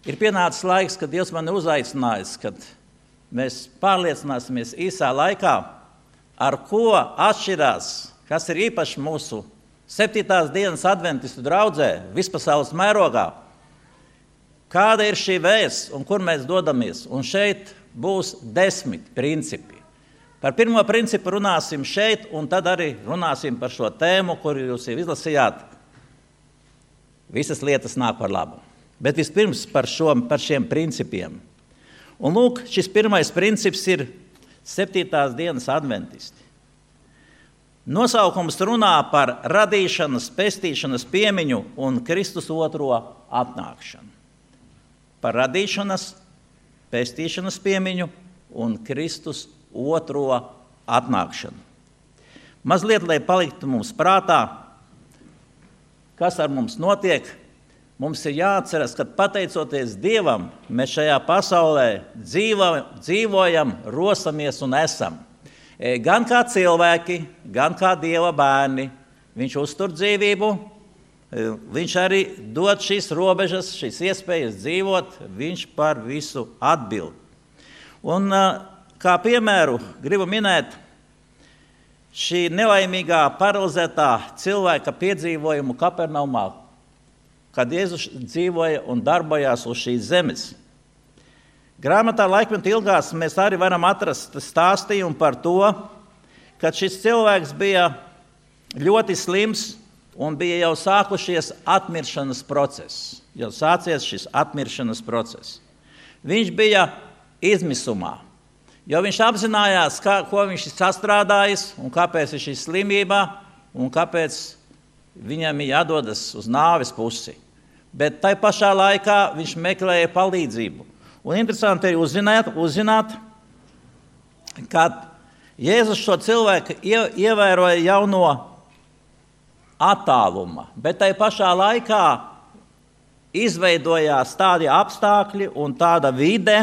Ir pienācis laiks, kad Dievs mani uzaicinājis, kad mēs pārliecināsimies īsā laikā, ar ko atšķirās, kas ir īpaši mūsu 7. dienas adventistu draudzē, vispasaules mērogā, kāda ir šī vēsts un kur mēs dodamies. Un šeit būs 10 principi. Par pirmo principu runāsim šeit, un tad arī runāsim par šo tēmu, kuru jūs jau izlasījāt. Visas lietas nāk par labu. Bet vispirms par šiem principiem. Un lūk, šis pirmais princips ir 7. dienas adventisti. Nosaukums runā par radīšanas, pestīšanas piemiņu un Kristus otro atnākšanu. Par radīšanas, pestīšanas piemiņu un Kristus otro atnākšanu. Mazliet, lai paliktu mums prātā, kas ar mums notiek, mums ir jāatceras, ka pateicoties Dievam, mēs šajā pasaulē dzīvojam, rosamies un esam. Gan kā cilvēki, gan kā Dieva bērni. Viņš uztur dzīvību, viņš arī dod šīs robežas, šīs iespējas dzīvot, viņš par visu atbild. Un kā piemēru gribu minēt šī nelaimīgā paralizētā cilvēka piedzīvojumu Kapernaumā, kad Jēzus dzīvoja un darbojās uz šīs zemes. Grāmatā Laikmeta ilgās mēs arī varam atrast stāstījumu par to, ka šis cilvēks bija ļoti slims un bija jau sākušies atmiršanas process. Jau sācies šis atmiršanas process. Viņš bija izmisumā, jo viņš apzinājās, ko viņš ir sastrādājis un kāpēc ir šī slimība un kāpēc viņam ir jādodas uz nāves pusi. Bet tai pašā laikā viņš meklēja palīdzību. Un interesanti ir uzzināt, ka Jēzus šo cilvēku ievēroja jau no attāluma, bet tai pašā laikā izveidojās tādi apstākļi un tāda vide,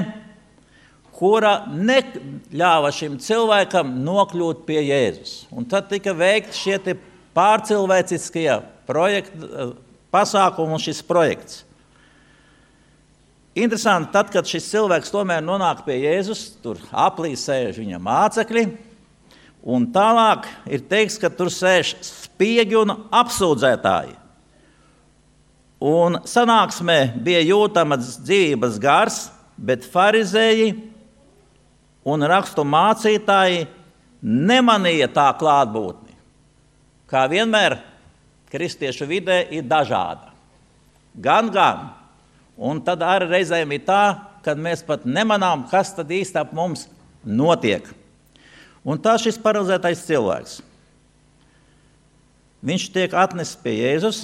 kura neļāva šim cilvēkam nokļūt pie Jēzus. Un tad tika veikti šie pārcilvēciskie pasākumi un šis projekts. Interesanti, tad, kad šis cilvēks tomēr nonāk pie Jēzus, tur aplī sēž viņa mācekļi, un tālāk ir teikts, ka tur sēž spiegi un apsūdzētāji. Un sanāksmē bija jūtams dzīvības gars, bet farizēji un rakstu mācītāji nemanīja tā klātbūtni. Kā vienmēr, kristiešu vidē ir dažāda. Gan. Un tad arī reizēm ir tā, kad mēs pat nemanām, kas tad īsti ap mums notiek. Un tā šis paralizētais cilvēks. Viņš tiek atnests pie Jēzus.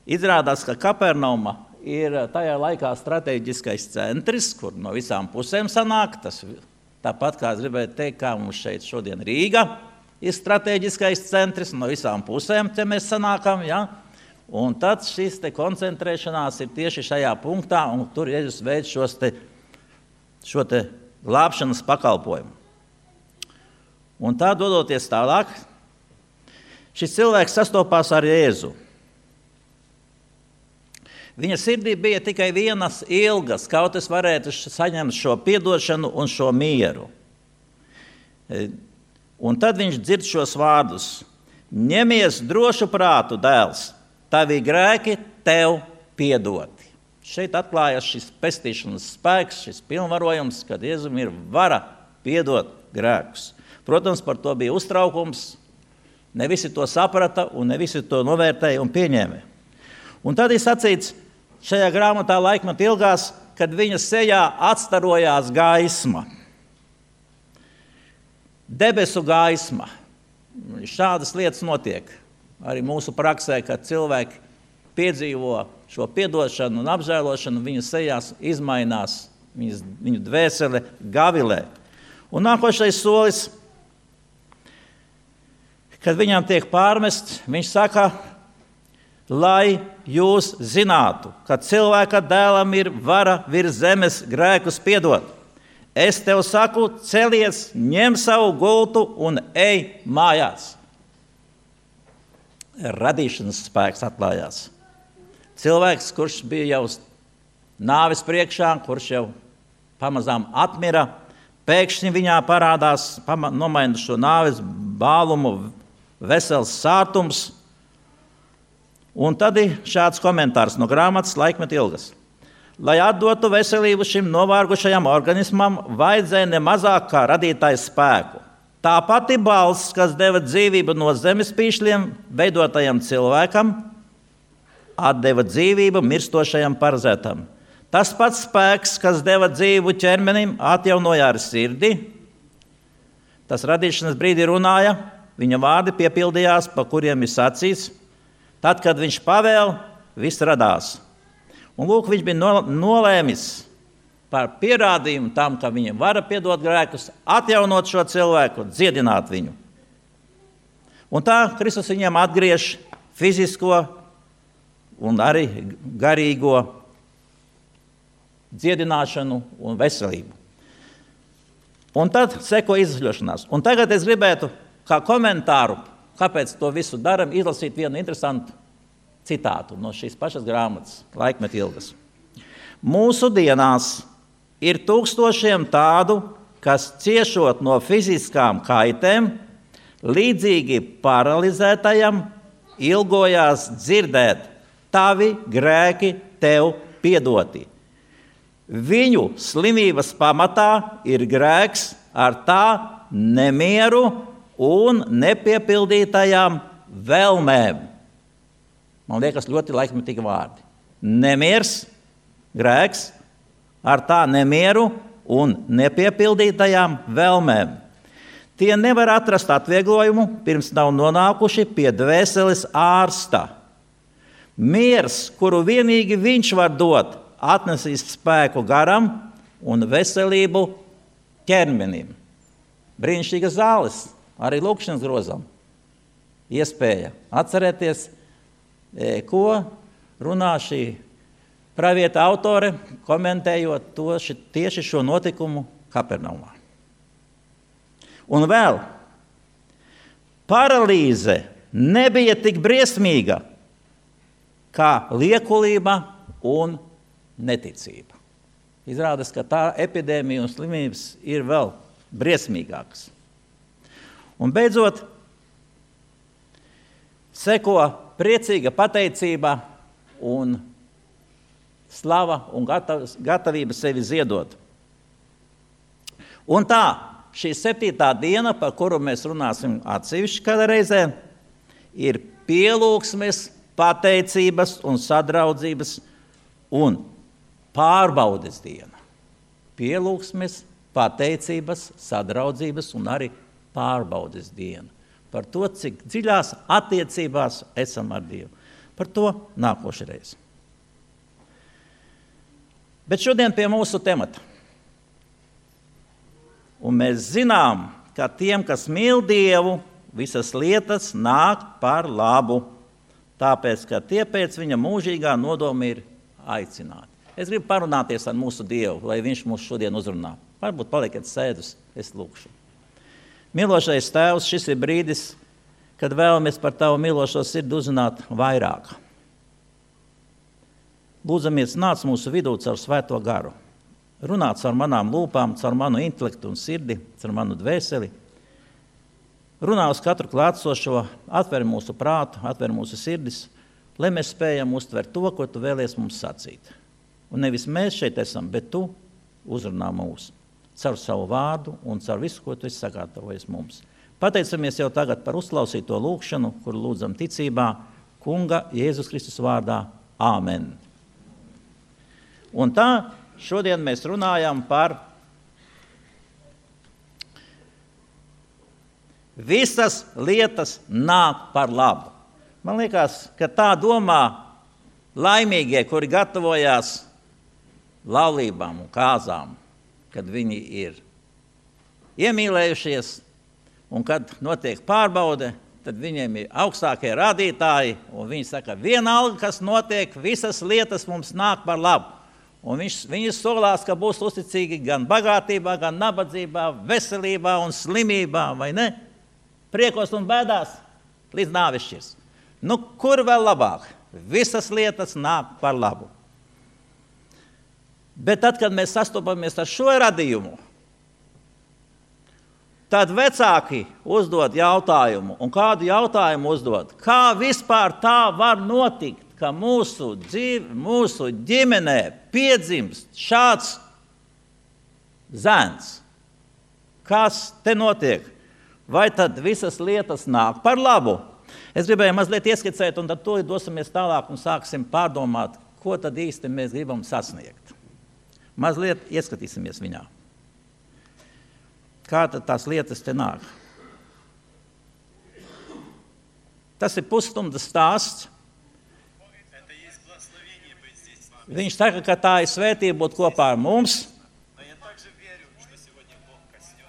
Izrādās, ka Kapernauma ir tajā laikā strateģiskais centrs, kur no visām pusēm sanāk. Tas tāpat kā es gribēju teikt, kā mums šeit šodien Rīga ir strateģiskais centrs, no visām pusēm te mēs sanākam, ja? Un tad šis koncentrēšanās ir tieši šajā punktā, un tur Jēzus veic šo glābšanas pakalpojumu. Un tā dodoties tālāk, šis cilvēks sastopās ar Jēzu. Viņa sirdī bija tikai vienas ilgas, kaut es varētu saņemt šo piedošanu un šo mieru. Un tad viņš dzird šos vārdus: ņemies drošu prātu, dēls, tavi grēki tev piedoti. Šeit atklājas šis pestīšanas spēks, šis pilnvarojums, kad Jēzum ir vara piedot grēkus. Protams, par to bija uztraukums, ne visi to saprata un ne visi to novērtēja un pieņēma. Un tad ir sacīts šajā grāmatā Laikmeta ilgās, kad viņa sejā atstarojās gaisma. Debesu gaisma. Šādas lietas notiek arī mūsu praksē, kad cilvēki piedzīvo šo piedošanu un apžēlošanu, viņu sejās izmainās, viņu dvēsele gavilē. Un nākošais solis, kad viņam tiek pārmests, viņš saka, lai jūs zinātu, ka cilvēka dēlam ir vara virs zemes grēkus piedot. Es tev saku, celies, ņem savu gultu un ej mājās. Radīšanas spēks atklājās. Cilvēks, kurš bija jau nāves priekšā, kurš jau pamazām atmira, pēkšņi viņā parādās, nomaina šo nāves bālumu, vesels sātums. Un tad ir šāds komentārs no grāmatas Laikmeta ilgas. Lai atdotu veselību šim novārgušajam organismam, vajadzēja ne mazāk kā radītājs spēku. Tā pati balss, kas deva dzīvību no zemes pīšļiem veidotajam cilvēkam, atdeva dzīvību mirstošajam parazētam. Tas pats spēks, kas deva dzīvību ķermenim, atjaunoja ar sirdi. Tas radīšanas brīdī runāja, viņa vārdi piepildījās, pa kuriem ir sacīts. Tad, kad viņš pavēl, viss radās. Un lūk, viņš bija nolēmis par pierādījumu tam, ka viņam vara piedot grēkus, atjaunot šo cilvēku, dziedināt viņu. Un tā Kristus viņam atgriež fizisko un arī garīgo dziedināšanu un veselību. Un tad seko izsļošanās. Un tagad es gribētu kā komentāru, kāpēc to visu daram, izlasīt vienu interesantu citātu no šīs pašas grāmatas, Laikmeta ilgas. Mūsu dienās ir tūkstošiem tādu, kas ciešot no fiziskām kaitēm, līdzīgi paralizētajam, ilgojās dzirdēt, tavi grēki tev piedoti. Viņu slimības pamatā ir grēks ar tā nemieru un nepiepildītajām vēlmēm. Man liekas, ļoti laikmetīgi vārdi. Nemiers, grēks, ar tā nemieru un nepiepildītajām vēlmēm. Tie nevar atrast atvieglojumu, pirms nav nonākuši pie dvēseles ārsta. Miers, kuru vienīgi viņš var dot, atnesīs spēku garam un veselību ķermenim. Brīnišķīgas zāles, arī lūkšanas grozam. Iespēja atcerēties, ko runā šī pravieta autore, komentējot tieši šo notikumu Kapernaumā. Un vēl, paralīze nebija tik briesmīga kā liekulība un neticība. Izrādās, ka tā epidēmija un slimības ir vēl briesmīgākas. Un beidzot, seko priecīga pateicība un slava un gatavība sevi ziedot. Un tā, šī 7. diena, par kuru mēs runāsim atsevišķi kādā reizē, ir pielūgsmes, pateicības un sadraudzības un pārbaudes diena. Pielūgsmes, pateicības, sadraudzības un arī pārbaudes diena. Par to, cik dziļās attiecībās esam ar Dievu. Par to nākošreiz. Bet šodien pie mūsu temata. Un mēs zinām, ka tiem, kas mīl Dievu, visas lietas nāk par labu, tāpēc, ka tie pēc viņa mūžīgā nodoma ir aicināti. Es gribu parunāties ar mūsu Dievu, lai viņš mūs šodien uzrunā. Varbūt palieciet sēdus, es lūkšu. Mīlošais Tēvs, šis ir brīdis, kad vēlamies par Tavu mīlošo sirdi uzzināt vairāk. Lūdzamies, nāc mūsu vidū caur Svēto garu. Runā caur manām lūpām, caur manu intelektu un sirdi, caur manu dvēseli. Runā uz katru klātsošo, atver mūsu prātu, atver mūsu sirdis, lai mēs spējam uztvert to, ko Tu vēlies mums sacīt. Un nevis mēs šeit esam, bet Tu uzrunā mūs caur savu vārdu un caur visu, ko Tu esi sagatavojis mums. Pateicamies jau tagad par uzklausīto lūkšanu, kuru lūdzam ticībā, Kunga Jēzus Kristus vārdā. Āmen. Un tā, šodien mēs runājam par visas lietas nāk par labu. Man liekas, ka tā domā laimīgie, kuri gatavojās laulībām un kāzām, kad viņi ir iemīlējušies un kad notiek pārbaude, tad viņiem ir augstākie rādītāji, un viņi saka, vienalga, kas notiek, visas lietas mums nāk par labu. Un viņi solās, ka būs uzticīgi gan bagātībā, gan nabadzībā, veselībā un slimībā, vai ne? Priekos un bēdās līdz nāves šķirs. Nu, kur vēl labāk? Visas lietas nāk par labu. Bet tad, kad mēs sastopamies ar šo radījumu, tad vecāki uzdod jautājumu. Un kādu jautājumu uzdod? Kā vispār tā var notikt, ka mūsu ģimenē piedzimst šāds zēns? Kas te notiek? Vai tad visas lietas nāk par labu? Es gribēju mazliet ieskicēt, un tad to dosimies tālāk un sāksim pārdomāt, ko tad īsti mēs gribam sasniegt. Mazliet ieskatīsimies viņā. Kā tad tās lietas te nāk? Tas ir pusstundas stāsts. Viņš saka, ka tā ir svētība būt kopā ar mums.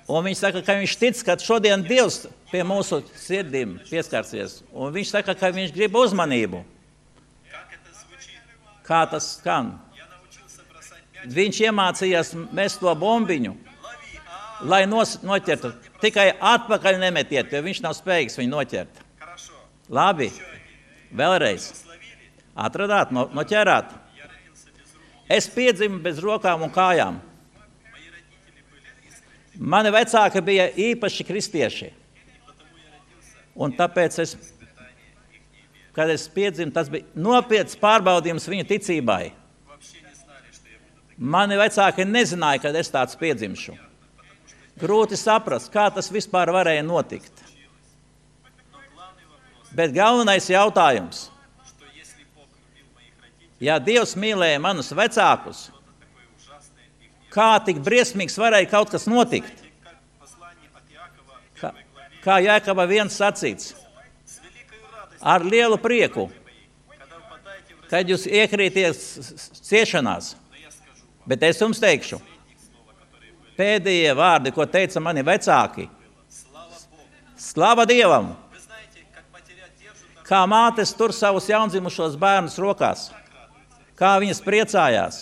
Un viņš saka, ka viņš tic, ka šodien Dievs pie mūsu sirdīm pieskarsies. Un viņš saka, ka viņš grib uzmanību. Kā tas skan? Viņš iemācījās mest to bombiņu, lai noķertu. Tikai atpakaļ nemetiet, jo viņš nav spējīgs viņu noķert. Labi, vēlreiz. Atradāt, noķerāt. Es piedzimu bez rokām un kājām. Mani vecāki bija īpaši kristieši. Un tāpēc, kad es piedzimu, tas bija nopietns pārbaudījums viņa ticībai. Mani vecāki nezināja, kad es tāds piedzimšu. Grūti saprast, kā tas vispār varēja notikt. Bet galvenais jautājums. Ja Dievs mīlēja manus vecākus, kā tik briesmīgs varēja kaut kas notikt? Kā Jākaba 1 sacīts, ar lielu prieku, kad jūs iekrīties ciešanās. Bet es jums teikšu, pēdējie vārdi, ko teica mani vecāki, slava Dievam, kā mātes tur savus jaundzimušos bērnus rokās, kā viņas priecājās.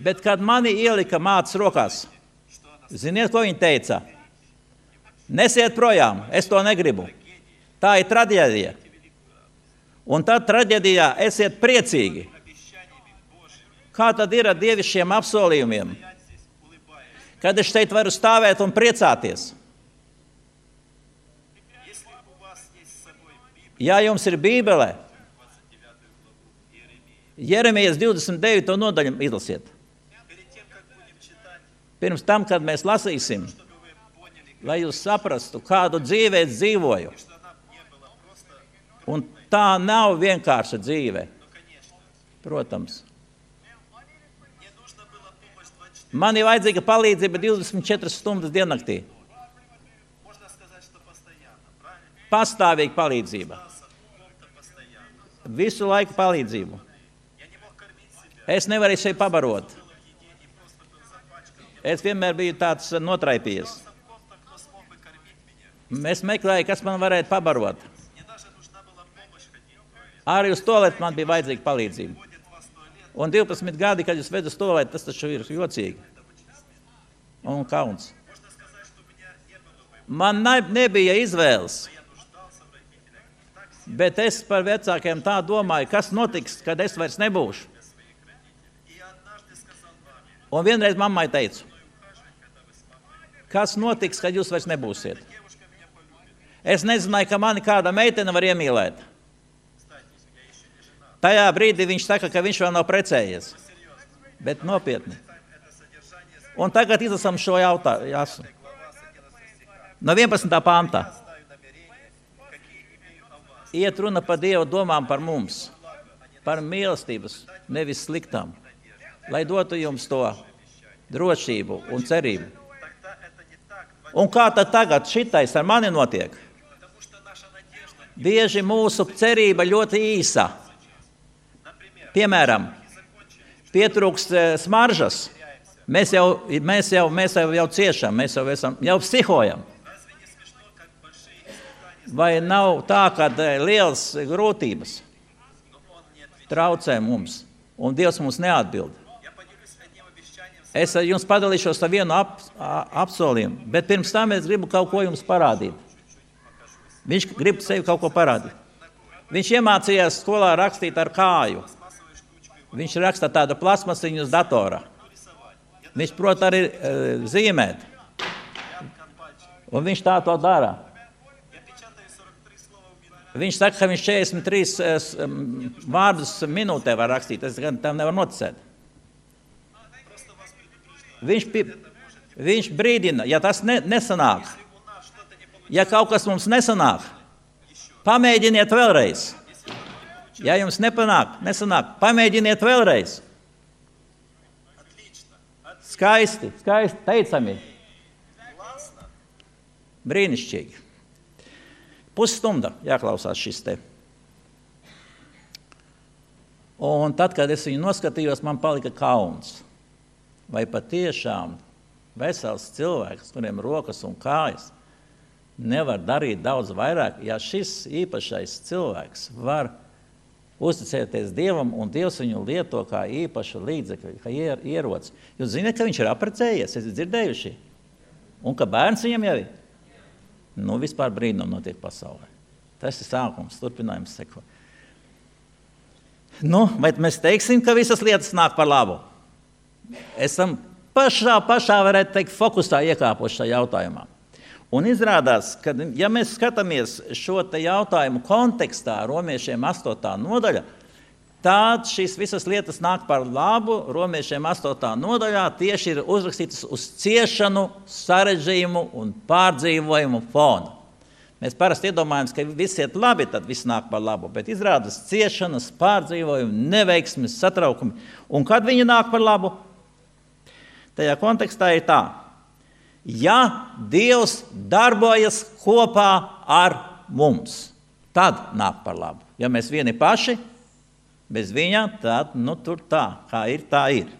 Bet, kad mani ielika mātes rokās, ziniet, ko viņa teica? Nesiet projām, es to negribu. Tā ir traģēdija. Un tad traģēdijā esiet priecīgi. Kā tad ir ar dievišķiem apsolījumiem? Kad es šeit varu stāvēt un priecāties? Ja jums ir Bībele, Jeremijas 29. nodaļu izlasiet. Pirms tam, kad mēs lasīsim, lai jūs saprastu, kādu dzīvi es dzīvoju. Un tā nav vienkārša dzīve. Protams. Man ir vajadzīga palīdzība 24 stundas diennaktī. Pastāvīga palīdzība. Visu laiku palīdzību. Es nevarēju sevi pabarot. Es vienmēr biju tāds notraipījies. Es meklēju, kas man varētu pabarot. Arī uz toaletu man bija vajadzīga palīdzība. Un 12 gadi, kad jūs ved uz toaletu, tas taču ir jocīgi. Un kauns. Man nebija izvēles. Bet es par vecākiem tā domāju, kas notiks, kad es vairs nebūšu. Un vienreiz mammai teicu, kas notiks, kad jūs vairs nebūsiet. Es nezināju, ka mani kāda meitene var iemīlēt. Tajā brīdī viņš saka, ka viņš vēl nav precējies. Bet nopietni. Un tagad izlasām šo jautājumu. No 11. pāntā. Iet runa par Dievu domām par mums. Par mīlestības, nevis sliktām. Lai dotu jums to drošību un cerību. Un kā tad tagad šitais ar mani notiek? Bieži mūsu cerība ļoti īsa. Piemēram, pietrūkst smaržas. Mēs jau ciešam, mēs jau psihojam. Vai nav tā, ka lielas grūtības traucē mums, un Dievs mums neatbild? Es jums padalīšos ar vienu apsolījumu, bet pirms tam es gribu kaut ko jums parādīt. Viņš grib sevi kaut ko parādīt. Viņš iemācījās skolā rakstīt ar kāju. Viņš raksta tādu plasmasiņu uz datora. Viņš prot arī zīmēt. Un viņš tā to dara. Viņš saka, ka viņš 43 vārdus minūtē var rakstīt. Es gan tam nevar noticēt. Viņš brīdina, ja tas nesanāk, ja kaut kas mums nesanāk, pamēģiniet vēlreiz. Ja jums nesanāk, pamēģiniet vēlreiz. Skaisti, teicami. Brīnišķīgi. Pusstunda jāklausās šis te. Un tad, kad es viņu noskatījos, man palika kauns. Vai patiešām vesels cilvēks, kuriem rokas un kājas, nevar darīt daudz vairāk, ja šis īpašais cilvēks var uzticēties Dievam, un Dievs viņu lieto kā īpašu līdzekļu, kā ieroci. Jūs zināt, ka viņš ir apprecējies, esat dzirdējuši? Un ka bērns viņam jau ir? Nu, vispār brīnum notiek pasaulē. Tas ir sākums, turpinājums seko. Nu, vai mēs teiksim, ka visas lietas nāk par labu? Esam pašā varētu teikt, fokusā iekāpuši šajā jautājumā. Un izrādās, ka, ja mēs skatāmies šo te jautājumu kontekstā romiešiem 8. nodaļa, tad šīs visas lietas nāk par labu. Romiešiem 8. nodaļā tieši ir uzrakstītas uz ciešanu, sarežģījumu un pārdzīvojumu fona. Mēs parasti iedomājamies, ka viss iet labi, tad viss nāk par labu, bet izrādās ciešanas, pārdzīvojumi, neveiksmes, satraukumi. Un kad viņi nāk par labu? Tajā kontekstā ir tā. Ja Dievs darbojas kopā ar mums, tad nāk par labu. Ja mēs vieni paši, bez viņa, tad tur tā, kā ir, tā ir.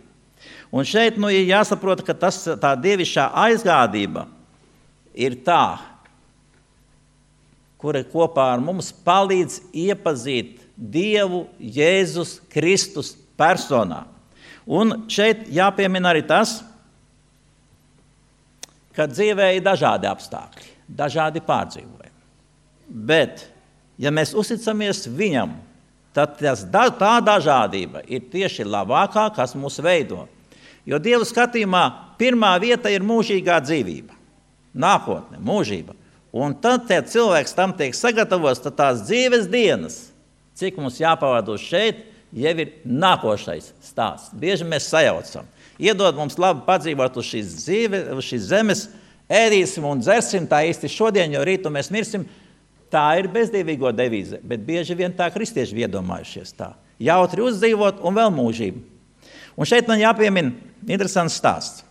Un šeit ir jāsaprot, ka tā dievišķā aizgādība ir tā, kura kopā ar mums palīdz iepazīt Dievu Jēzus Kristus personā. Un šeit jāpiemina arī tas, ka dzīvē ir dažādi apstākļi, dažādi pārdzīvojumi. Bet, ja mēs uzticamies viņam, tad tā dažādība ir tieši labākā, kas mūs veido. Jo Dieva skatījumā pirmā vieta ir mūžīgā dzīvība, nākotne, mūžība. Un tad cilvēks tam tiek sagatavots, tad tās dzīves dienas, cik mums jāpavada šeit, jau ir nākošais stāsts. Bieži mēs sajaucam. Iedod mums labi padzīvot uz šīs zemes, ēdīsim un dzersim, tā īsti šodien, jo rītu mēs mirsim. Tā ir bezdīvīgo devīze, bet bieži vien tā kristieši iedomājušies tā. Jautri uzdzīvot un vēl mūžību. Un šeit man jāpiemina interesants stāsts.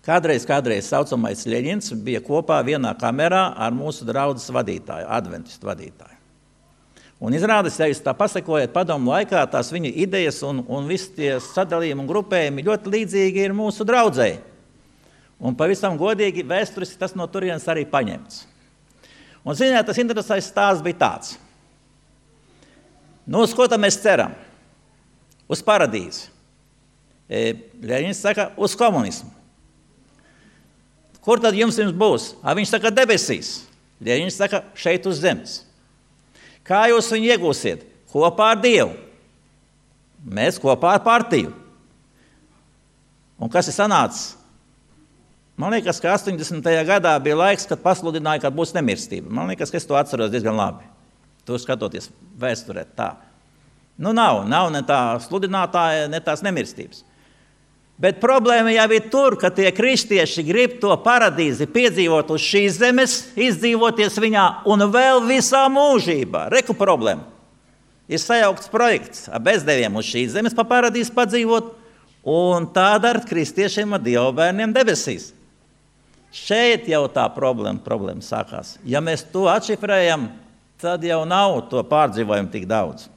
Kādreiz saucamais Ļeņins bija kopā vienā kamerā ar mūsu draudzes vadītāju, adventistu vadītāju. Un izrādās, ja jūs tā pasakojat padomu laikā, tās viņa idejas un visi tie sadalījumi un grupējumi ļoti līdzīgi ir mūsu draudzei. Un pavisam godīgi vēsturiski tas no turienes arī paņemts. Un ziniet, tas interesants stāsts bija tāds. Nu, uz ko tad mēs ceram? Uz paradīzi. Ļeņins saka, uz komunismu. Kur tad jums būs? Viņš saka, debesīs. Ļeņins saka, šeit uz zemes. Kā jūs viņu iegūsiet? Kopā ar Dievu. Mēs kopā ar partiju. Un kas ir sanācis? Man liekas, ka 80. gadā bija laiks, kad pasludināja, ka būs nemirstība. Man liekas, ka es to atceros diezgan labi. Tur skatoties vēsturē tā. Nu nav ne tā sludinātāja, ne tās nemirstības. Bet problēma jau ir tur, ka tie kristieši grib to paradīzi piedzīvot uz šīs zemes, izdzīvoties viņā un vēl visā mūžībā. Reku problēma. Ir sajaukts projekts ar bezdeviem uz šīs zemes pa paradīzi padzīvot, un tāda ar kristiešiem ar Dieva bērniem debesīs. Šeit jau tā problēma sākās. Ja mēs to atšifrējam, tad jau nav to pārdzīvojumu tik daudz.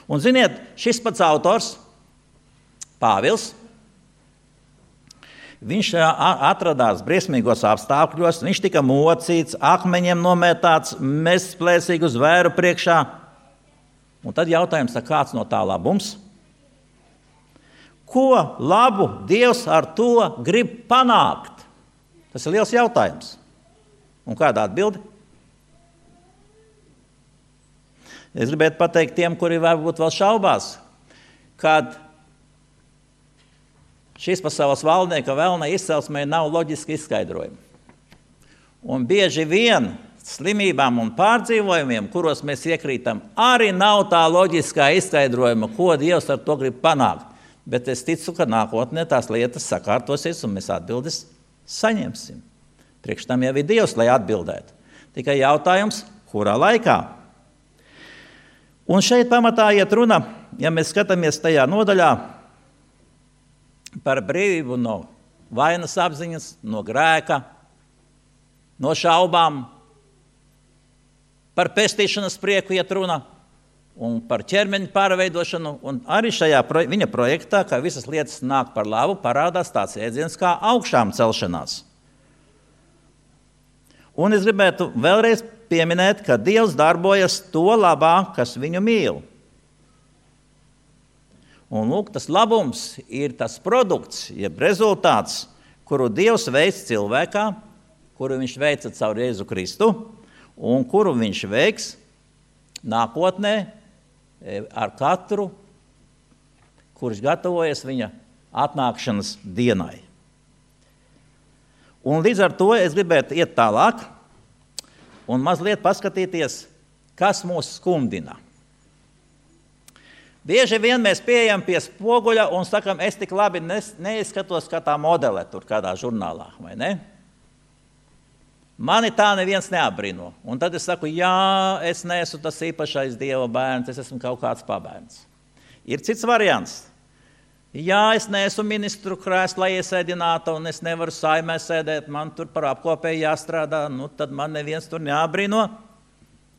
Un ziniet, šis pats autors, Pāvils, viņš atradās briesmīgos apstākļos, viņš tika mocīts, akmeņiem nomētāts, mests plēsīgi uz vēru priekšā. Un tad jautājums, kāds no tā labums? Ko labu Dievs ar to grib panākt? Tas ir liels jautājums. Un kāda atbilde? Es gribētu pateikt tiem, kuri varbūt vēl šaubās, kad šīs pasaules valdnieka vēlnai izcelsmei nav loģiski izskaidrojumi. Un bieži vien slimībām un pārdzīvojumiem, kuros mēs iekrītam, arī nav tā loģiskā izskaidrojuma, ko Dievs ar to grib panākt. Bet es ticu, ka nākotnē tās lietas sakārtosies un mēs atbildes saņemsim. Priekš tam jau ir Dievs, lai atbildētu. Tikai jautājums, kurā laikā? Un šeit pamatā iet runa, ja mēs skatāmies tajā nodaļā par brīvību no vainas apziņas, no grēka, no šaubām, par pestīšanas prieku iet runa un par ķermeņa pārveidošanu. Un arī šajā viņa projektā, ka visas lietas nāk par labu, parādās tāds jēdziens kā augšām celšanās. Un es gribētu vēlreiz pieminēt, ka Dievs darbojas to labā, kas viņu mīl. Un lūk, tas labums ir tas produkts, jeb rezultāts, kuru Dievs veic cilvēkā, kuru viņš veica caur Jēzu Kristu, un kuru viņš veiks nākotnē ar katru, kurš gatavojas viņa atnākšanas dienai. Un līdz ar to es gribētu iet tālāk un mazliet paskatīties, kas mūs skumdina. Bieži vien mēs pieejam pie spoguļa un sakam, es tik labi neizskatos kā tā modele tur kādā žurnālā, vai ne? Mani tā neviens neapbrino. Un tad es saku, jā, es neesmu tas īpašais Dieva bērns, es esmu kaut kāds pabērns. Ir cits variants. Jā, es neesmu ministru krēslā iesēdināta un es nevaru saimē sēdēt, man tur par apkopēju jāstrādā, nu tad man neviens tur neapbrino.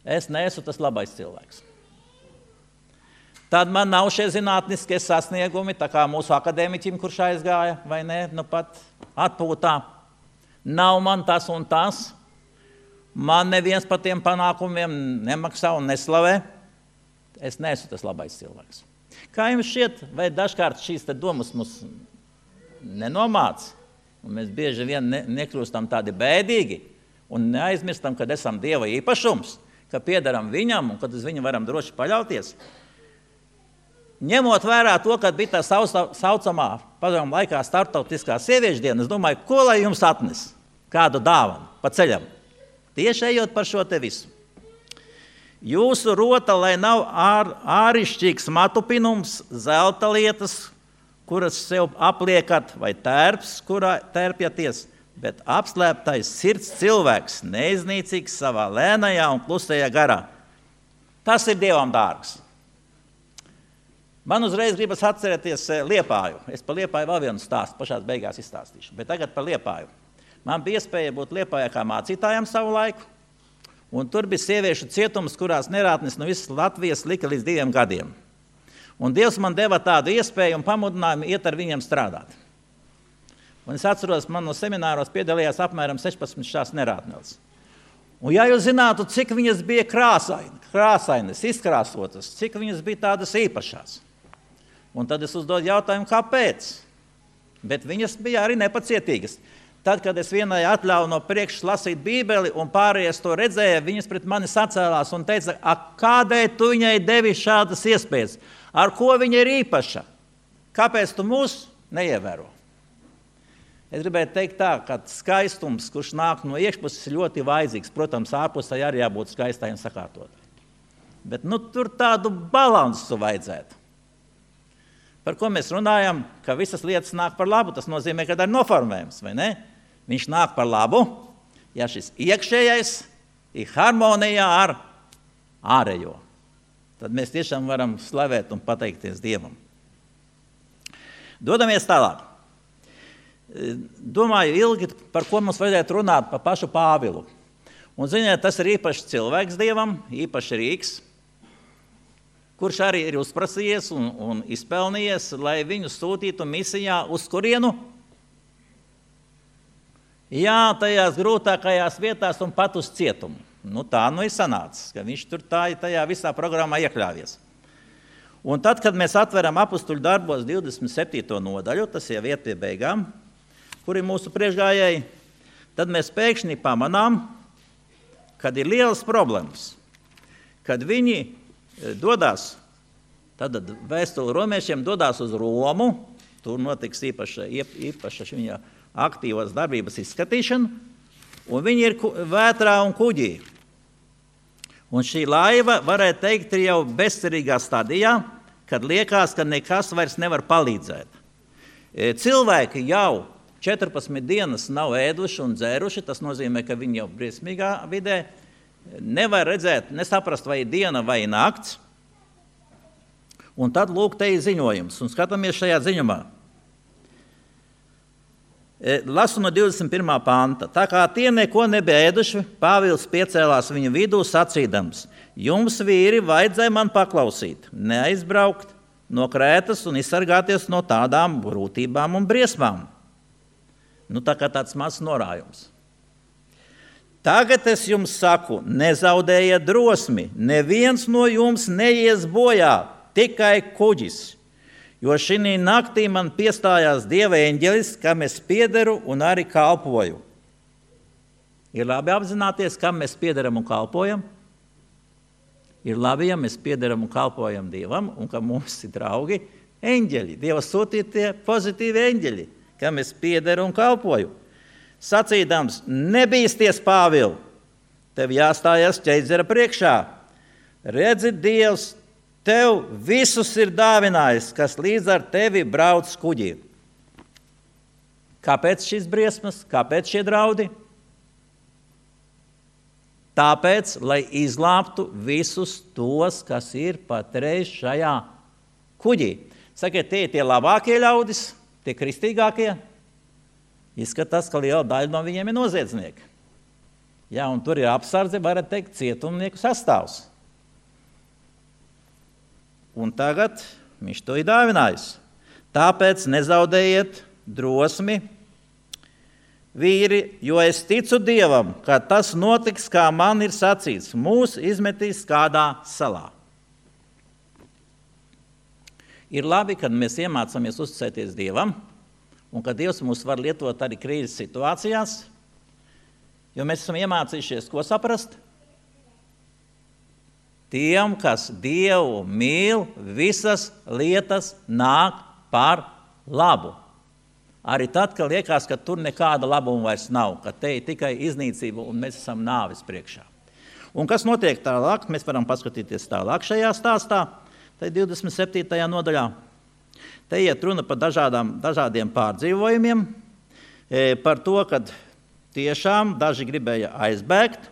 Es neesmu tas labais cilvēks. Tad man nav šie zinātniskie sasniegumi, tā kā mūsu akadēmiķim, kurš aizgāja, vai ne, nu pat atpūtā. Nav man tas un tas, man neviens par tiem panākumiem nemaksā un neslavē. Es neesmu tas labais cilvēks. Kā jums šķiet, vai dažkārt šīs domas mums nenomāc? Un mēs bieži vien nekļūstam tādi bēdīgi un neaizmirstam, kad esam Dieva īpašums, ka piederam viņam un kad uz viņu varam droši paļauties. Ņemot vērā to, kad bija tā saucamā padomu laikā starptautiskā sieviešu diena, es domāju, ko lai jums atnes? Kādu dāvanu pa ceļam? Tieši ejot par šo te visu. Jūsu rota, lai nav ārišķīgs matupinums, zelta lietas, kuras sev apliekat, vai tērps, kurā tērpjaties, bet apslēptais sirds cilvēks, neiznīcīgs savā lēnajā un klusajā garā. Tas ir Dievam dārgs. Man uzreiz gribas atcerēties Liepāju. Es par Liepāju vēl vienu stāstu pašās beigās izstāstīšu, bet tagad par Liepāju. Man bija iespēja būt Liepājā kā mācītājam savu laiku, un tur bija sieviešu cietums, kurās nerātnis no visas Latvijas lika līdz 2 gadiem. Un Dievs man deva tādu iespēju un pamudinājumu iet ar viņiem strādāt. Un es atceros, man no semināros piedalījās apmēram 16 šās nerātneles. Un ja jūs zinātu, cik viņas bija krāsainas, izkrāsotas, cik viņas bija tādas īpašās. Un tad es uzdodu jautājumu, kāpēc? Bet viņas bija arī nepacietīgas. Tad, kad es vienai atļauju no priekšas lasīt Bībeli un pārējais to redzēja, viņas pret mani sacēlās un teica, kādēļ tu viņai devi šādas iespējas? Ar ko viņa ir īpaša? Kāpēc tu mūs neievēro? Es gribētu teikt tā, ka skaistums, kurš nāk no iekšpuses, ir ļoti vajadzīgs. Protams, ārpusē arī jābūt skaistai un sakārtotai. Bet tur tādu balansu vajadzētu. Par ko mēs runājam, ka visas lietas nāk par labu, tas nozīmē, ka ir noformējums, vai ne? Viņš nāk par labu, ja šis iekšējais ir harmonijā ar ārējo. Tad mēs tiešām varam slavēt un pateikties Dievam. Dodamies tālāk. Domāju ilgi, par ko mums vajadzētu runāt, par pašu Pāvilu. Un ziniet, tas ir īpašs cilvēks Dievam, īpašs rīks, kurš arī ir uzprasījies un izpelnījies, lai viņu sūtītu misijā uz kurienu? Jā, tajās grūtākajās vietās un pat uz cietumu. Tā ir sanācis, ka viņš tur tajā visā programmā iekļāvies. Un tad, kad mēs atveram Apustuļu darbos 27. nodaļu, tas jau iet pie beigām, kur ir mūsu priekšgājēji, tad mēs pēkšņi pamanām, kad ir lielas problēmas, kad viņi dodās Tad vēstule romiešiem dodās uz Romu, tur notiks īpaša viņa aktīvās darbības izskatīšana, un viņi ir vētrā un kuģī. Un šī laiva, varētu teikt, ir jau bezcerīgā stadijā, kad liekas, ka nekas vairs nevar palīdzēt. Cilvēki jau 14 dienas nav ēduši un dzēruši, tas nozīmē, ka viņi jau briesmīgā vidē nevar redzēt, nesaprast, vai diena vai nakts. Un tad lūk, te ir ziņojums, un skatāmies šajā ziņumā. Lasu no 21. panta. Tā kā tie neko nebija ēduši, Pāvils piecēlās viņu vidū sacīdams: jums, vīri, vajadzēja man paklausīt, neaizbraukt no Krētas un izsargāties no tādām grūtībām un briesmām. Tā kā tāds mazs norājums. Tagad es jums saku, nezaudējiet drosmi, neviens no jums neies bojā, tikai kuģis. Jo šī naktī man piestājās Dieva eņģelis, kam es piederu un arī kalpoju. Ir labi apzināties, kam mēs piederam un kalpojam. Ir labi, ja mēs piederam un kalpojam Dievam, un ka mums ir draugi eņģeļi, Dieva sūtītie pozitīvi eņģeļi, kam es piederu un kalpoju. Sacīdams, nebīsties, Pāvil, tev jāstājas ķeizara priekšā. Redzi, Dievs tev visus ir dāvinājis, kas līdz ar tevi brauc kuģī. Kāpēc šīs briesmas? Kāpēc šie draudi? Tāpēc, lai izglābtu visus tos, kas ir patreiz šajā kuģī. Sakiet, tie ir tie labākie ļaudis, tie kristīgākie. Izskatās, ka liela daļa no viņiem ir noziedznieki. Jā, un tur ir apsardze, varat teikt, cietumnieku sastāvs. Un tagad viņš to ir dāvinājis. Tāpēc nezaudējiet drosmi, vīri, jo es ticu Dievam, ka tas notiks, kā man ir sacīts, mūs izmetīs kādā salā. Ir labi, kad mēs iemācāmies uzticēties Dievam, un ka Dievs mūs var lietot arī krīzes situācijās, jo mēs esam iemācījušies, ko saprast? Tiem, kas Dievu mīl, visas lietas nāk par labu. Arī tad, kad liekas, ka tur nekāda labuma vairs nav, ka te ir tikai iznīcība un mēs esam nāves priekšā. Un kas notiek tālāk? Mēs varam paskatīties tālāk šajā stāstā, tai 27. nodaļā. Te iet runa par dažādiem pārdzīvojumiem, par to, kad tiešām daži gribēja aizbēgt,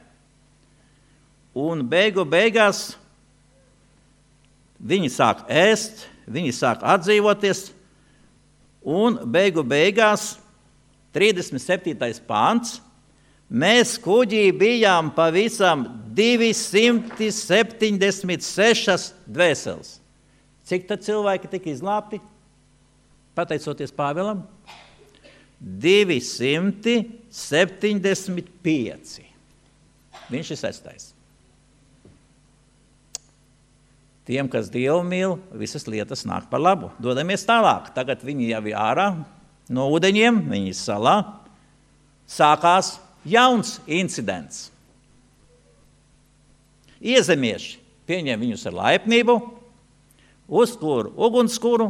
un beigās viņi sāk ēst, viņi sāk atdzīvoties, un beigās 37. pāns, mēs kuģī bijām pavisam 276 dvēseles. Cik tad cilvēki tika izglābti? Pateicoties Pāvilam? 275. Viņš ir 6. Tiem, kas Dievu mīl, visas lietas nāk par labu. Dodamies tālāk. Tagad viņi jau ir ārā no ūdeņiem, viņi ir salā. Sākās jauns incidents. Iezemieši pieņem viņus ar laipnību, uzkūru ugunskura,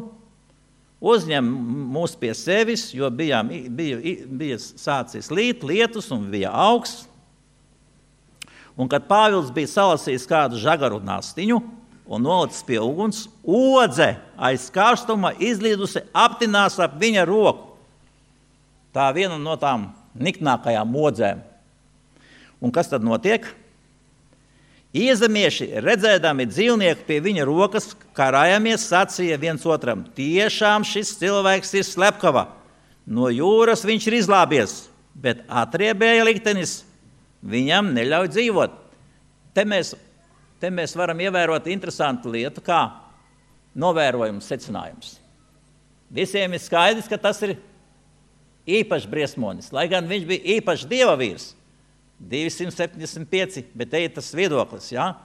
uzņem mūs pie sevis, jo bija sācis līt, lietus un bija augsts. Un kad Pāvils bija salasījis kādu žagaru nastiņu un nolicis pie uguns, odze aiz karstuma izlīdusi aptinās ap viņa roku. Tā viena no tām niknākajām odzēm. Un kas tad notiek? Iezemieši, redzēdami dzīvnieku pie viņa rokas, karājamies, sacīja viens otram: tiešām šis cilvēks ir slepkava. No jūras viņš ir izglābies, bet atriebēja liktenis viņam neļauj dzīvot. Te mēs varam ievērot interesantu lietu, kā novērojums, secinājums. Visiem ir skaidrs, ka tas ir īpašs briesmonis, lai gan viņš bija īpašs dieva vīrs. 275, bet te ir tas viedoklis, jā?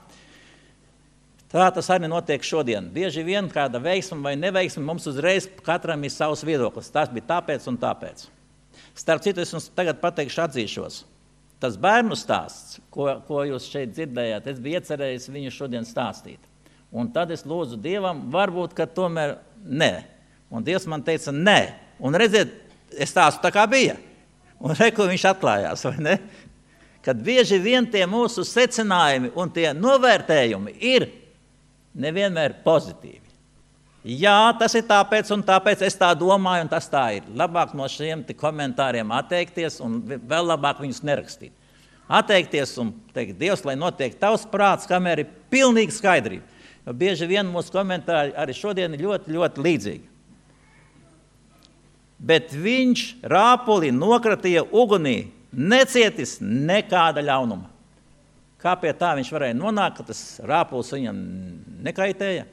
Tā tas arī notiek šodien. Bieži vien kāda veiksma vai neveiksma, mums uzreiz katram ir savs viedoklis. Tas bija tāpēc un tāpēc. Starp citu, es jums tagad pateikšu, atzīšos. Tas bērnu stāsts, ko jūs šeit dzirdējāt, es biju iecerējis viņu šodien stāstīt. Un tad es lūdzu Dievam, varbūt, ka tomēr nē. Un Dievs man teica, nē. Un redziet, es stāstu tā kā bija. Un reku viņš atklājās, vai ne? Kad bieži vien tie mūsu secinājumi un tie novērtējumi ir nevienmēr pozitīvi. Jā, tas ir tāpēc un tāpēc es tā domāju un tas tā ir. Labāk no šiem komentāriem atteikties un vēl labāk viņus nerakstīt. Atteikties un teikt, Dievs, lai notiek tavs prāts, kamēr ir pilnīga skaidrība. Jo bieži vien mūsu komentāri arī šodien ir ļoti, ļoti līdzīgi. Bet viņš rāpuli nokratīja ugunī, necietis nekāda ļaunuma. Kā pie tā viņš varēja nonākt, ka tas rāpuls viņam nekaitēja?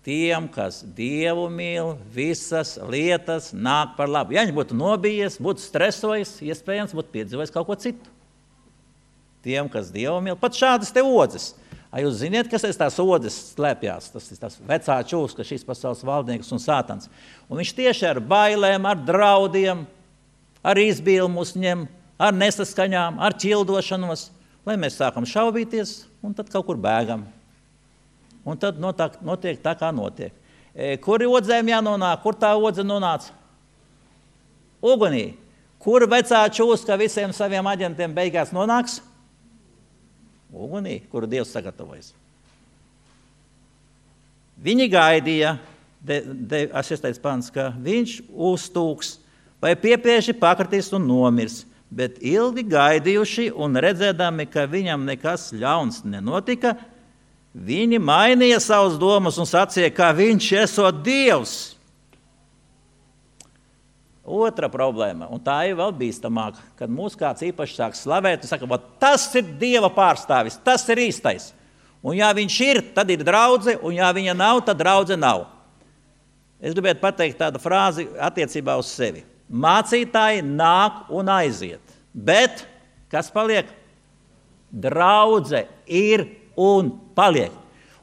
Tiem, kas Dievu mīl, visas lietas nāk par labu. Ja viņš būtu nobijies, būtu stresojis, iespējams, būtu piedzīvojis kaut ko citu. Tiem, kas Dievu mīl, pat šādas te odzes. Jūs ziniet, kas aiz tās odzes slēpjās? Tas ir tas vecā čūska, šīs pasaules valdnieks un sātans. Un viņš tieši ar bailēm, ar draudiem, ar izbilmu uzņem, ar nesaskaņām, ar ķildošanos, lai mēs sākam šaubīties un tad kaut kur bēgam. Un tad notiek tā, kā notiek. Kur odzēm jānonāk? Kur tā odze nonāca? Ugunī. Kur vecā čūska visiem saviem aģentiem beigās nonāks? Ugunī, kuru Dievs sagatavojas. Viņi gaidīja, 6. pants, ka viņš uztūks vai piepieši pakritīs un nomirs, bet ilgi gaidījuši un redzēdami, ka viņam nekas ļauns nenotika, viņi mainīja savas domas un sacīja, ka viņš esot Dievs. Otra problēma, un tā ir vēl bīstamāka, kad mūs kāds īpaši sāk slavēt un saka, tas ir Dieva pārstāvis, tas ir īstais. Un ja viņš ir, tad ir draudze, un ja viņa nav, tad draudze nav. Es gribētu pateikt tādu frāzi attiecībā uz sevi. Mācītāji nāk un aiziet, bet kas paliek? Draudze ir un paliek.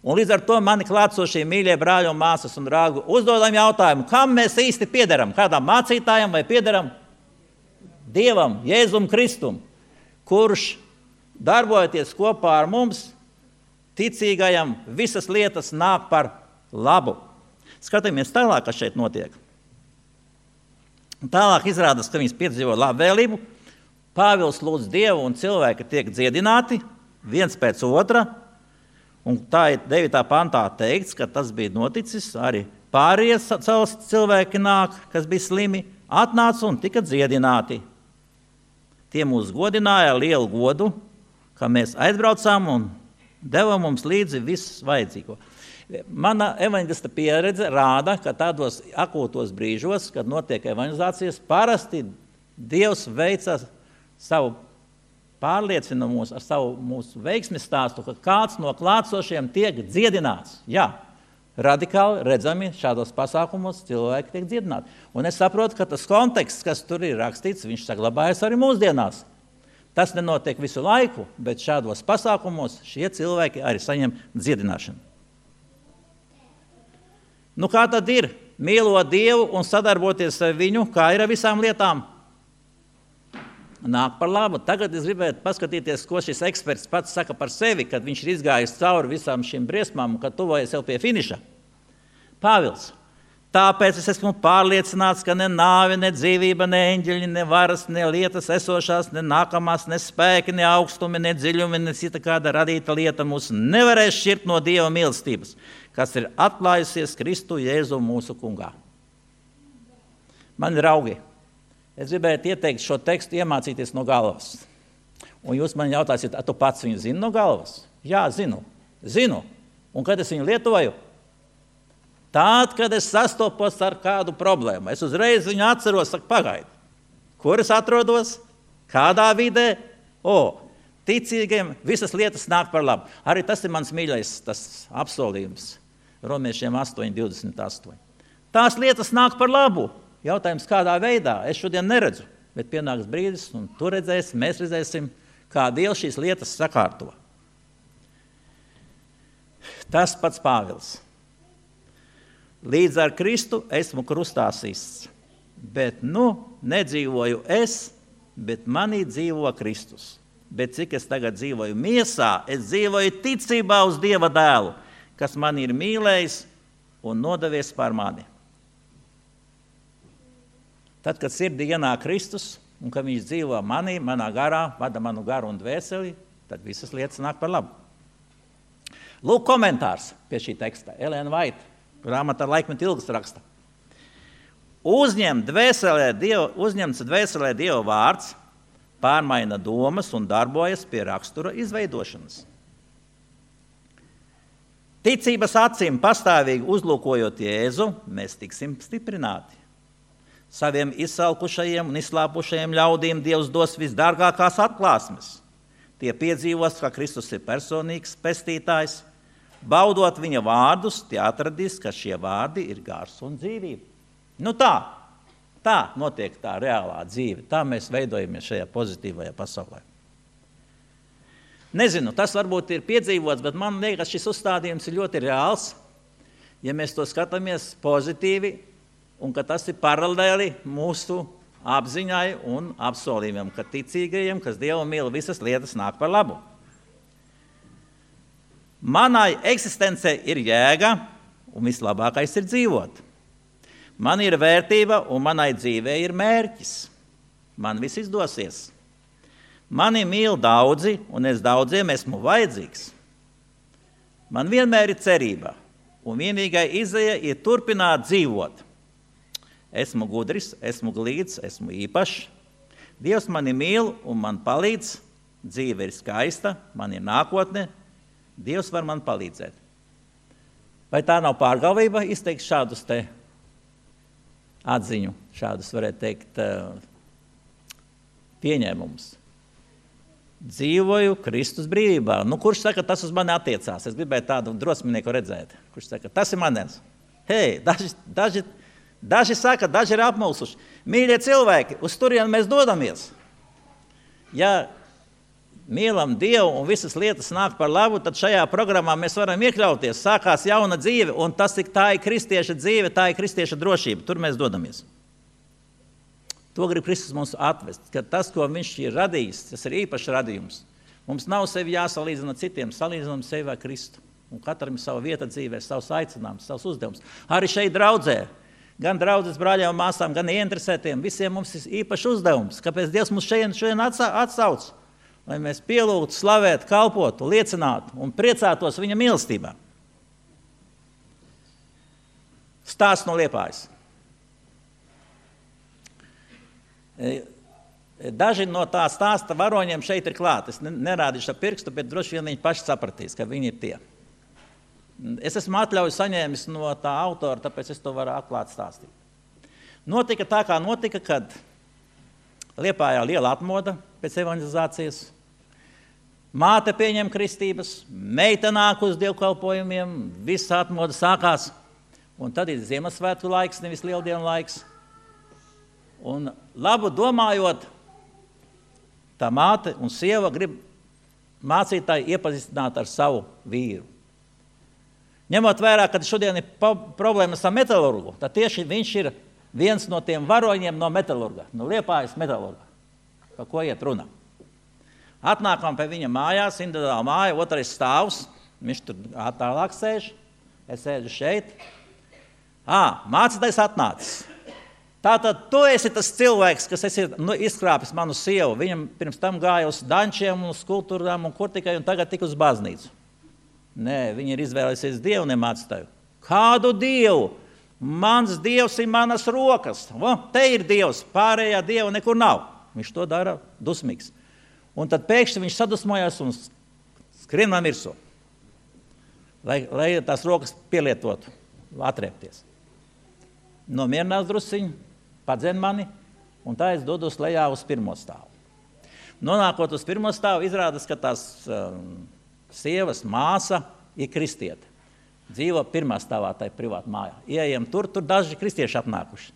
Un līdz ar to mani klātsošie mīļie brāļi un māsas un draugi uzdodam jautājumu, kam mēs īsti piederam? Kādam mācītājam vai piederam Dievam, Jēzum Kristum, kurš darbojoties kopā ar mums, ticīgajam, visas lietas nāk par labu. Skatāmies tālāk, kas šeit notiek. Tālāk izrādās, ka viņas piedzīvo labvēlību. Pāvils lūdz Dievu un cilvēki tiek dziedināti viens pēc otra. Un tā ir 9. pantā teikts, ka tas bija noticis, arī pārējie cilvēki nāk, kas bija slimi, atnāca un tika dziedināti. Tie mūs godināja ar lielu godu, ka mēs aizbraucām un deva mums līdzi visu vajadzīgo. Mana evaņģelista pieredze rāda, ka tādos akūtos brīžos, kad notiek evaņģelizācijas, parasti Dievs veica savu pārliecina mūs ar savu mūsu veiksmes stāstu, ka kāds no klātsošiem tiek dziedināts. Jā, radikāli redzami šādos pasākumos cilvēki tiek dziedināti. Un es saprotu, ka tas konteksts, kas tur ir rakstīts, viņš saglabājas arī mūsdienās. Tas nenotiek visu laiku, bet šādos pasākumos šie cilvēki arī saņem dziedināšanu. Nu kā tad ir? Mīlot Dievu un sadarboties ar viņu, kā ir ar visām lietām? Nāk par labu. Tagad es gribētu paskatīties, ko šis eksperts pats saka par sevi, kad viņš ir izgājis cauri visām šīm briesmām un kad tuvojas jau pie finiša. Pāvils. Tāpēc es esmu pārliecināts, ka ne nāve, ne dzīvība, ne eņģeļi, ne varas, ne lietas esošās, ne nākamās, ne spēki, ne augstumi, ne dziļumi, ne cita kāda radīta lieta mūs nevarēs šķirt no Dieva mīlestības, kas ir atklājusies Kristu Jēzu mūsu kungā. Mani draugi, es gribētu ieteikt šo tekstu iemācīties no galvas. Un jūs man jautāsiet, tu pats viņu zini no galvas? Jā, zinu. Un kad es viņu lietoju? Tād, kad es sastopos ar kādu problēmu. Es uzreiz viņu atceros, saku, pagaidi. Kur es atrodos? Kādā vidē? Ticīgiem visas lietas nāk par labu. Arī tas ir mans mīļais tas apsolījums. Romiešiem 8:28. Tās lietas nāk par labu. Jautājums, kādā veidā, es šodien neredzu, bet pienāks brīdis, un tu redzēsi, mēs redzēsim, kā Dievs šīs lietas sakārto. Tas pats Pāvils. Līdz ar Kristu esmu krustā sists, bet nedzīvoju es, bet manī dzīvo Kristus. bet cik es tagad dzīvoju miesā, es dzīvoju ticībā uz Dieva dēlu, kas mani ir mīlējis un nodevies par mani. Tad, kad sirdī ienāk Kristus, un kad viņš dzīvo manī, manā garā, vada manu garu un dvēseli, tad visas lietas nāk par labu. Lūk komentārs pie šī teksta. Elēna Vaita, grāmatā Laikmetu ilgas raksta. Uzņemts dvēselē Dieva vārds, pārmaina domas un darbojas pie rakstura izveidošanas. Ticības acīm pastāvīgi uzlūkojot Jēzu, mēs tiksim stiprināti. Saviem izsalkušajiem un izslāpušajiem ļaudīm Dievs dos visdārgākās atklāsmes. Tie piedzīvos, ka Kristus ir personīgs pestītājs. Baudot viņa vārdus, tie atradīs, ka šie vārdi ir gars un dzīvība. Nu tā notiek tā reālā dzīve. Tā mēs veidojamies šajā pozitīvajā pasaulē. Nezinu, tas varbūt ir piedzīvots, bet man liekas, šis uzstādījums ir ļoti reāls, ja mēs to skatāmies pozitīvi, un ka tas ir paralēli mūsu apziņai un apsolījumiem, ka ticīgajiem, kas Dievu mīl, visas lietas nāk par labu. Manai eksistencei ir jēga, un vislabākais ir dzīvot. Man ir vērtība, un manai dzīvei ir mērķis. Man viss izdosies. Mani mīl daudzi, un es daudziem esmu vajadzīgs. Man vienmēr ir cerība, un vienīgai izēja ir turpināt dzīvot. Esmu gudrs, esmu glīts, esmu īpašs. Dievs mani mīl un man palīdz. Dzīve ir skaista, man ir nākotne. Dievs var man palīdzēt. Vai tā nav pārgalvība izteikt šādus te atziņu, šādus, varētu teikt, pieņēmumus? Dzīvoju Kristus brīvībā. Nu, kurš saka, tas uz mani attiecās? Es gribēju tādu drosminieku redzēt. Kurš saka, tas ir manens? Hei, daži saka, daži ir apmulsuši. Mīļie cilvēki, uz turieni mēs dodamies. Ja mīlam Dievu un visas lietas nāk par labu, tad šajā programmā mēs varam iekļauties. Sākās jauna dzīve, un tā ir kristieša dzīve, tā ir kristieša drošība. Tur mēs dodamies. To grib Kristus mums atvest, ka tas, ko viņš ir radījis, tas ir īpašs radījums. Mums nav sevi jāsalīdzina citiem, salīdzinām sevi ar Kristu. Un katram ir sava vieta dzīvē, savs aicinājums, savs uzdevums. Arī šeit draudzē, gan draudzes brāļiem un māsām, gan ieinteresētiem, visiem mums ir īpašs uzdevums. Kāpēc Dievs mums šodien atsauc? Lai mēs pielūgtu, slavētu, kalpotu, liecinātu un priecātos viņa mīlestībā. Stāsts no Liepājas. Daži no tā stāsta varoņiem šeit ir klāt. Es nerādīšu ar pirkstu, bet droši vien viņi paši sapratīs, ka viņi ir tie. Es esmu atļauju saņēmis no tā autora, tāpēc es to varu atklāt stāstīt. Notika tā, kā notika, kad Liepājā liela atmoda pēc evanģelizācijas. Māte pieņem kristības, meita nāk uz dievkalpojumiem, viss atmoda sākās. Un tad ir Ziemassvētku laiks, nevis lieldienu laiks. Un labu domājot, tā māte un sieva grib mācītāji iepazīstināt ar savu vīru. Ņemot vērā, ka šodien ir problēmas ar metalurgu, tad tieši viņš ir viens no tiem varoņiem no metalurga, no Liepājas metalurga. Par ko iet runa? Atnākam pie viņa mājās, individuāla māja, otrais stāvs, viņš tur tālāk sēž, es sēžu šeit. Mācītājs atnācis. Tātad tu esi tas cilvēks, kas esi izkrāpis manu sievu. Viņam pirms tam gāja uz dančiem, uz kultūrām un kur tikai, un tagad tik uz baznīcu. Nē, viņi ir izvēlēsies Dievu, ne mācītāju. Kādu Dievu? Mans Dievs ir manas rokas. Te ir Dievs, pārējā Dieva nekur nav. Viņš to dara dusmīgs. Un tad pēkšņi viņš sadusmojās un skrien man virsū, lai tās rokas pielietotu, atriepties. Nomierinās drusciņu, padzen mani, un tā es dodos lejā uz pirmo stāvu. Nonākot uz pirmo stāvu, izrādās, ka tās sievas māsa ir kristiete. Dzīvo pirmā stāvā tai privāta mājā. Ieejam tur daži kristieši apnākuši.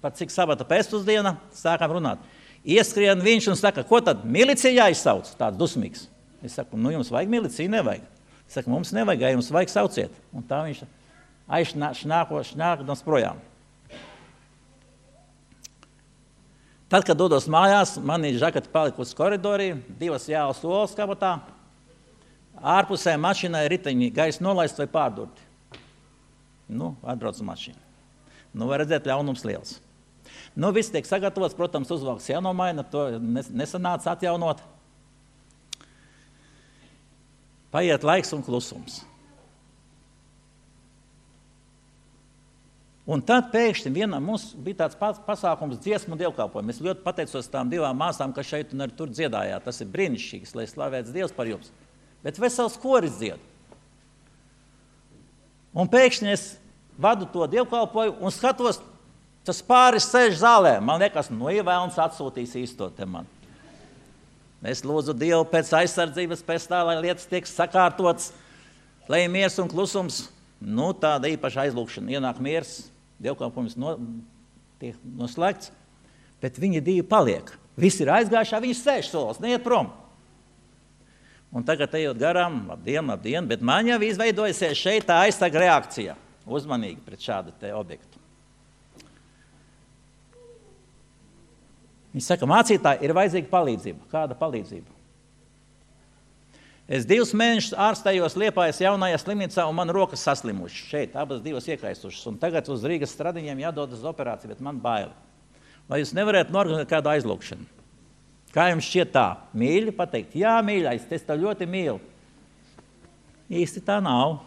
Par cik sabata pēcpusdiena sākam runāt. Ieskrien viņš un saka, ko tad milicija jāizsauc? Tāds dusmīgs. Es saku, jums vajag miliciju, nevajag. Es saku, mums nevajag, ja jums vajag sauciet. Un tā viņš šņākos projām. Tad, kad dodos mājās, man ir žakati palikusi koridorī, 2 jālas olas kabatā, ārpusē mašīnai riteņi gaisa nolaist vai pārdurti. Atbrauc mašīna. Var redzēt, ļaunums liels. Viss tiek sagatavots, protams, uzvalks jānomaina, to nesanāca atjaunot. Paiet laiks un klusums. Un tad pēkšņi vienam mums bija tāds pasākums dziesmu dievkalpojumu. Es ļoti pateicos tām 2 māsām, kas šeit un arī tur dziedājāt. Tas ir brīnišķīgs, lai slavēts Dievs par jums. Bet vesels koris dzied. Un pēkšņi es vadu to dievkalpojumu un skatos, tas pāris sēž zālē. Man liekas, ievēlns atsūtīs īsto te man. Es lūdzu Dievu pēc aizsardzības, pēc tā, lai lietas tiek sakārtotas, lai ir miers un klusums. Tāda īpaša aizlūkšana. Ienāk miers, dievkalpojums tiek noslēgts, bet viņi 2 paliek. Visi ir aizgājušā, viņi sēž solis, neiet prom. Un tagad ejot garām, labdien, bet man jau izveidojusies šeit tā aizsarga reakcija. Uzmanīgi pret šādu te objektu. Viņi saka, mācītāji, ir vajadzīga palīdzība. Kāda palīdzība? Es 2 mēnešus ārstējos Liepājas jaunajā slimnīcā un man rokas saslimušas. Šeit abas 2 iekaisušas. Un tagad uz Rīgas stradiņiem jādodas uz operāciju, bet man baili. Vai jūs nevarētu norganizēt kādu aizlūkšanu? Kā jums šķiet tā? Mīļi pateikt? Jā, mīļais, es tev ļoti mīlu. Īsti tā nav.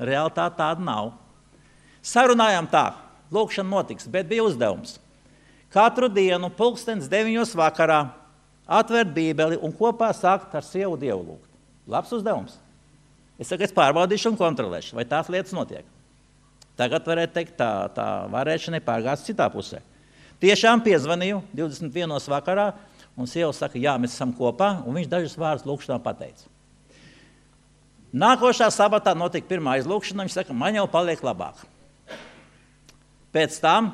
Realitāte tāda nav. Sarunājām tā. Lūkšana notiks, bet bija uzdevums. Katru dienu 9:00 vakarā atvērt Bībeli un kopā sākt ar sievu Dievu lūgt. Labs uzdevums. Es saku, es pārbaudīšu un kontrolēšu, vai tās lietas notiek. Tagad varētu teikt, tā varēšana pārgās citā pusē. Tiešām piezvanīju 21:00 vakarā, un sieva saka, jā, mēs esam kopā, un viņš dažus vārdus lūkšanā pateica. Nākošā sabatā notika pirmā aizlūkšana, viņš saka, man jau paliek labāk. Pēc tam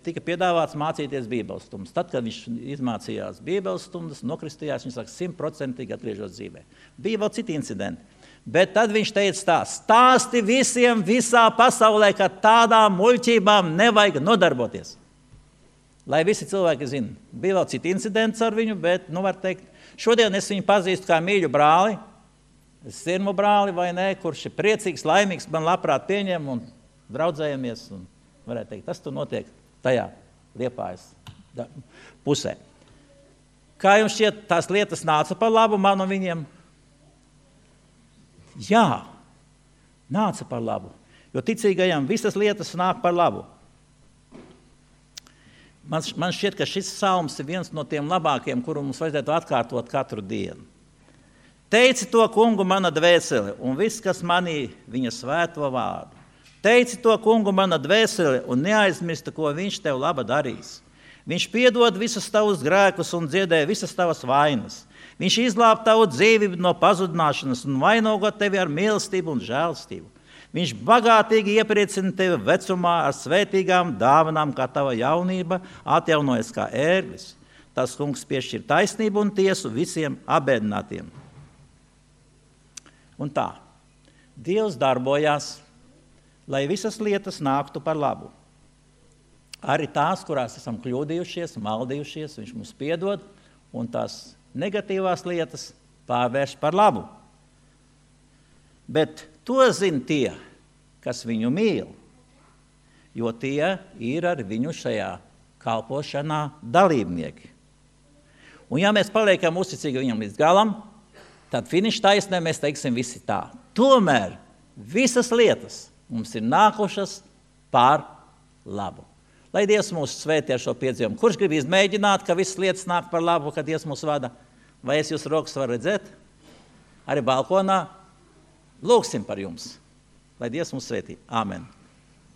tika piedāvāts mācīties bībeles stundas. Tad, kad viņš izmācījās bībeles stundas, nokristījās, viņš saka, 100% atgriežos dzīvē. Bija vēl citi incidenti. Bet tad viņš teica tā, stāsti visiem visā pasaulē, ka tādām muļķībām nevajag nodarboties. Lai visi cilvēki zina. Bija vēl citi incidenti ar viņu, bet, var teikt, šodien es viņu pazīstu kā mīļu brāli, sirmu brāli vai ne, kurš ir priecīgs, laimīgs, man labprāt pieņem un draudzējamies. Un varētu teikt, tas tur notiek tajā Liepājas pusē. Kā jums šķiet, tās lietas nāca par labu man un viņiem? Jā, nāca par labu, jo ticīgajam visas lietas nāk par labu. Man šķiet, ka šis psalms ir viens no tiem labākiem, kuru mums vajadzētu atkārtot katru dienu. Teici to kungu mana dvēsele un viss, kas manī viņa svēto vārdu. Teici to kungu mana dvēsele un neaizmirsti, ko viņš tev laba darīs. Viņš piedod visus tavus grēkus un dziedē visas tavas vainas. Viņš izglāb tavu dzīvību no pazudināšanas un vainogo tevi ar mīlestību un žēlstību. Viņš bagātīgi iepriecina tevi vecumā ar svētīgām dāvanām, kā tava jaunība atjaunojas kā ērglis. Tas kungs piešķir taisnību un tiesu visiem abēdinātiem. Un tā, Dievs darbojās, lai visas lietas nāktu par labu. Arī tās, kurās esam kļūdījušies, maldījušies, viņš mums piedod, un tās negatīvās lietas pārvērš par labu. Bet to zina tie, kas viņu mīl, jo tie ir ar viņu šajā kalpošanā dalībnieki. Un ja mēs paliekam uzticīgi viņam līdz galam, tad finiša taisnē mēs teiksim visi tā. Tomēr visas lietas mums ir nākušas par labu. Lai Dievs mūs svētī ar šo piedzīvumu. Kurš grib izmēģināt, ka visas lietas nāk par labu, kad Dievs mūs vada? Vai es jūs rokas varu redzēt? Arī balkonā. Lūksim par jums. Lai Dievs mūs svētī. Āmen.